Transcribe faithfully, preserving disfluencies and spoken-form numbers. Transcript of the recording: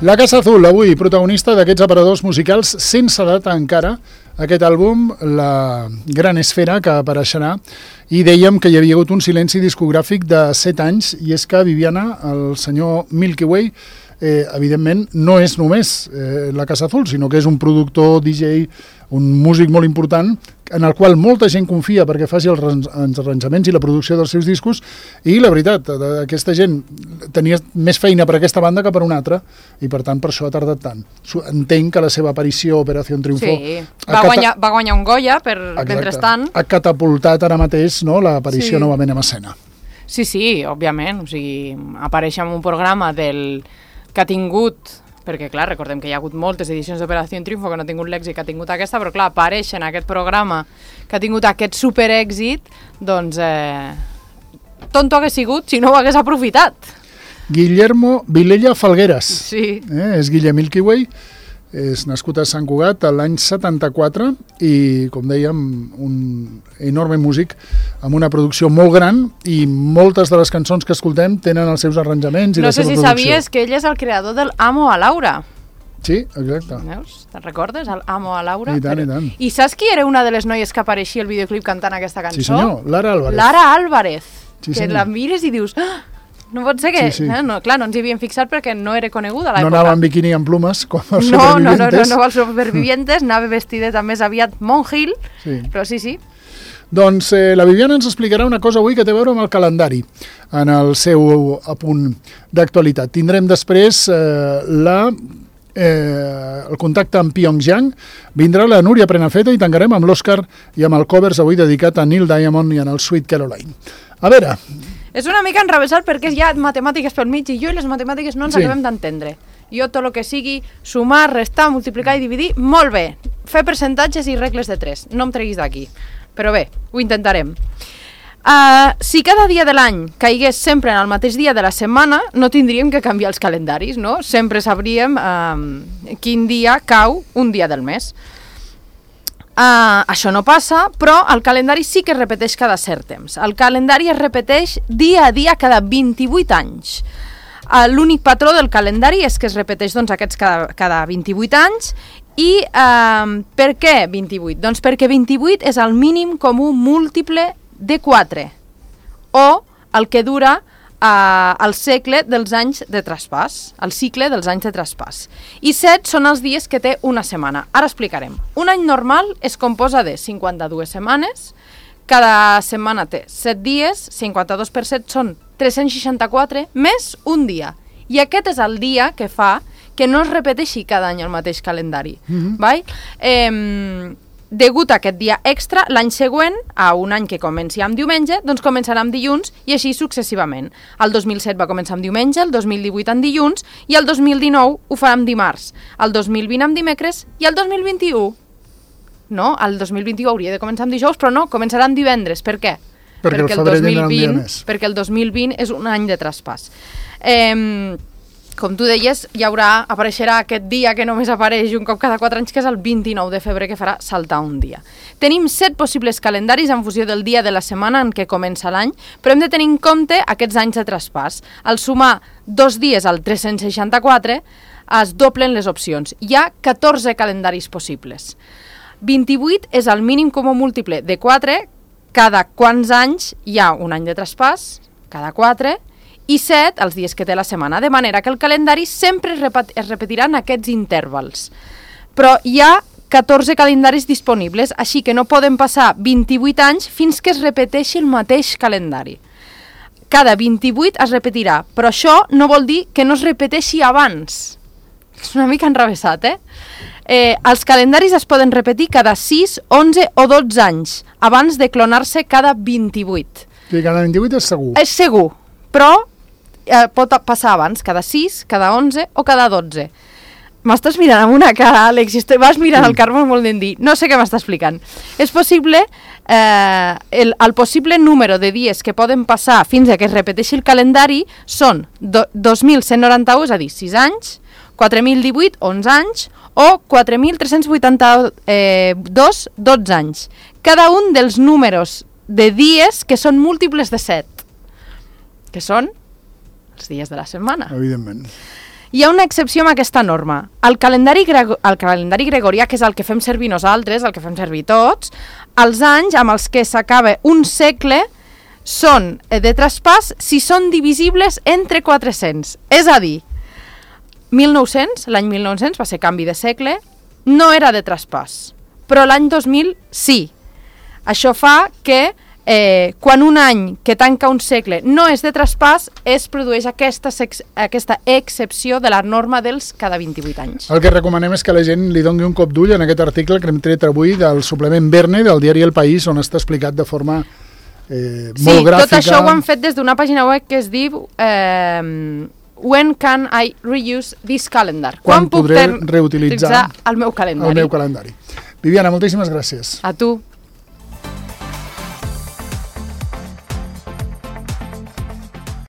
La Casa Azul, avui, protagonista d'aquests aparadors musicals sense data encara, aquest àlbum, La Gran Esfera, que apareixerà, i dèiem que hi havia hagut un silenci discogràfic de set anys, i és que Viviana, el senyor Milky Way, eh, evidentment no és només eh, La Casa Azul, sinó que és un productor, D J, un músic molt important, en el qual molta gent confia perquè faci els arranjaments i la producció dels seus discos, i la veritat, aquesta gent tenia més feina per aquesta banda que per una altra, i per tant per això ha tardat tant. Entenc que la seva aparició, Operació Triunfo... Sí, va, cata... guanyar, va guanyar un Goya per mentrestant. Ha catapultat ara mateix, no, l'aparició sí. novament en escena. Sí, sí, òbviament, o sigui, apareix en un programa del que ha tingut... perquè, clar, recordem que hi ha hagut moltes edicions d'Operació Triunfo que no ha tingut l'èxit que ha tingut aquesta, però, clar, aparèixer en aquest programa que ha tingut aquest superèxit, doncs, eh, tonto hagués sigut si no ho hagués aprofitat. Guillermo Vilella Falgueras. Sí. Eh, és Guillem Milky Way, és nascut a Sant Cugat l'any setanta-quatre i, com dèiem, un enorme músic amb una producció molt gran i moltes de les cançons que escoltem tenen els seus arranjaments i no la seva si producció. No sé si sabies que ell és el creador del Amo a Laura. Sí, exacte. Veus? Te'n recordes? El Amo a Laura? I tant, i tant. I saps qui era una de les noies que apareixia al videoclip cantant aquesta cançó? Sí, senyor, Lara Álvarez. Lara Álvarez. Sí, que senyor. la mires i dius... Ah! No pot ser que... Sí, sí. Eh? No, clar, no ens hi havíem fixat perquè no era coneguda a l'època. No anava en biquini amb plumes, com els no, supervivientes. No, no, no, no, els supervivientes, anava vestida més aviat Monhill, sí. però sí, sí. Doncs eh, la Viviana ens explicarà una cosa avui que té a veure amb el calendari, en el seu apunt d'actualitat. Tindrem després eh, la... Eh, el contacte amb Pyongyang, vindrà la Núria Prenafeta i tancarem amb l'Òscar i amb el covers avui dedicat a Neil Diamond i en el Sweet Caroline. A veure... És una mica enrevessat perquè hi ha matemàtiques pel mig i jo i les matemàtiques no ens sí. acabem d'entendre. Jo tot el que sigui sumar, restar, multiplicar i dividir, molt bé. Fer percentatges i regles de tres. No em treguis d'aquí. Però bé, ho intentarem. Uh, si cada dia de l'any caigués sempre en el mateix dia de la setmana, no tindríem que canviar els calendaris, no? Sempre sabríem uh, quin dia cau un dia del mes. Uh, això no passa, però el calendari sí que es repeteix cada cert temps. El calendari es repeteix dia a dia cada vint-i-vuit anys. Uh, L'únic patró del calendari és que es repeteix doncs, aquests cada, cada vint-i-vuit anys. I uh, per què vint-i-vuit? Doncs perquè vint-i-vuit és el mínim comú múltiple de quatre, o el que dura Uh, el segle dels anys de traspàs, el cicle dels anys de traspàs. I set són els dies que té una setmana. Ara explicarem. Un any normal es composa de cinquanta-dues setmanes, cada setmana té set dies, cinquanta-dos per set són tres-cents seixanta-quatre, més un dia. I aquest és el dia que fa que no es repeteixi cada any el mateix calendari. Mm-hmm. Vai? Eh, Degut a aquest dia extra, l'any següent, a un any que comenci amb diumenge, doncs començarà amb dilluns i així successivament. El dos mil set va començar amb diumenge, el dos mil divuit amb dilluns i el dos mil dinou ho farà amb dimarts, el dos mil vint amb dimecres i el dos mil vint-i-u. No, el dos mil vint-i-u hauria de començar amb dijous, però no, començarà amb divendres. Per què? Perquè, perquè, el, el, dos mil vint, perquè el dos mil vint és un any de traspàs. Eh... Com tu deies, hi haurà, apareixerà aquest dia que només apareix un cop cada quatre anys, que és el vint-i-nou de febrer, que farà saltar un dia. Tenim set possibles calendaris en funció del dia de la setmana en què comença l'any, però hem de tenir en compte aquests anys de traspàs. Al sumar dos dies al tres-cents seixanta-quatre, es doblen les opcions. Hi ha catorze calendaris possibles. vint-i-vuit és el mínim comú múltiple de quatre, cada quants anys hi ha un any de traspàs, cada quatre, i set els dies que té la setmana, de manera que el calendari sempre es, repet es repetirà en aquests intervals. Però hi ha catorze calendaris disponibles, així que no poden passar vint-i-vuit anys fins que es repeteixi el mateix calendari. Cada vint-i-vuit es repetirà, però això no vol dir que no es repeteixi abans. És una mica enrevessat, eh? eh els calendaris es poden repetir cada sis, onze o dotze anys, abans de clonar-se cada vint-i-vuit. Sí, cada vint-i-vuit és segur. És segur, però eh, pot passar abans, cada sis, cada onze o cada dotze. M'estàs mirant amb una cara, Àlex, i vas mirant sí. el Carme molt d'en dir. No sé què m'està explicant. És possible, eh, el, el possible número de dies que poden passar fins a que es repeteixi el calendari són do, dos mil cent noranta-u, és a dir, sis anys, quatre mil divuit, onze anys, o quatre mil tres-cents vuitanta-dos, eh, dotze anys. Cada un dels números de dies que són múltiples de set, que són els dies de la setmana. Evidentment. hi ha una excepció amb aquesta norma. El calendari, grego, el calendari gregorià, que és el que fem servir nosaltres, el que fem servir tots, els anys amb els que s'acaba un segle són de traspàs si són divisibles entre quatre-cents. És a dir, mil nou-cents, l'any mil nou-cents va ser canvi de segle, no era de traspàs, però l'any dos mil sí. Això fa que eh, quan un any que tanca un segle no és de traspàs, es produeix aquesta, aquesta excepció de la norma dels cada vint-i-vuit anys. El que recomanem és que la gent li doni un cop d'ull en aquest article que hem tret avui del suplement Verne del diari El País, on està explicat de forma eh, molt sí, gràfica. Sí, tot això ho han fet des d'una pàgina web que es diu eh, When can I reuse this calendar? Quan, Quan podré reutilitzar el meu calendari? El meu calendari. Viviana, moltíssimes gràcies. A tu.